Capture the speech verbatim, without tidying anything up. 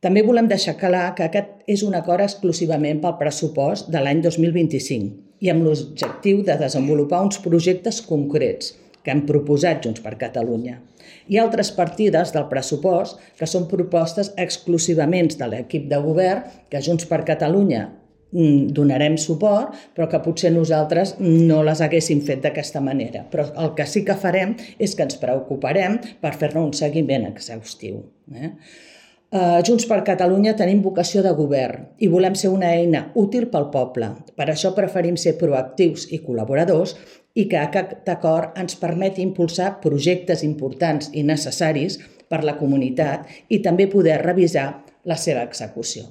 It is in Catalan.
També volem deixar clar que aquest és un acord exclusivament pel pressupost de l'any dos mil vint-i-cinc i amb l'objectiu de desenvolupar uns projectes concrets que hem proposat Junts per Catalunya. Hi ha altres partides del pressupost que són propostes exclusivament de l'equip de govern que Junts per Catalunya donarem suport, però que potser nosaltres no les haguéssim fet d'aquesta manera. Però el que sí que farem és que ens preocuparem per fer-ne un seguiment exhaustiu. Junts per Catalunya tenim vocació de govern i volem ser una eina útil pel poble. Per això preferim ser proactius i col·laboradors i que aquest acord ens permeti impulsar projectes importants i necessaris per a la comunitat i també poder revisar la seva execució.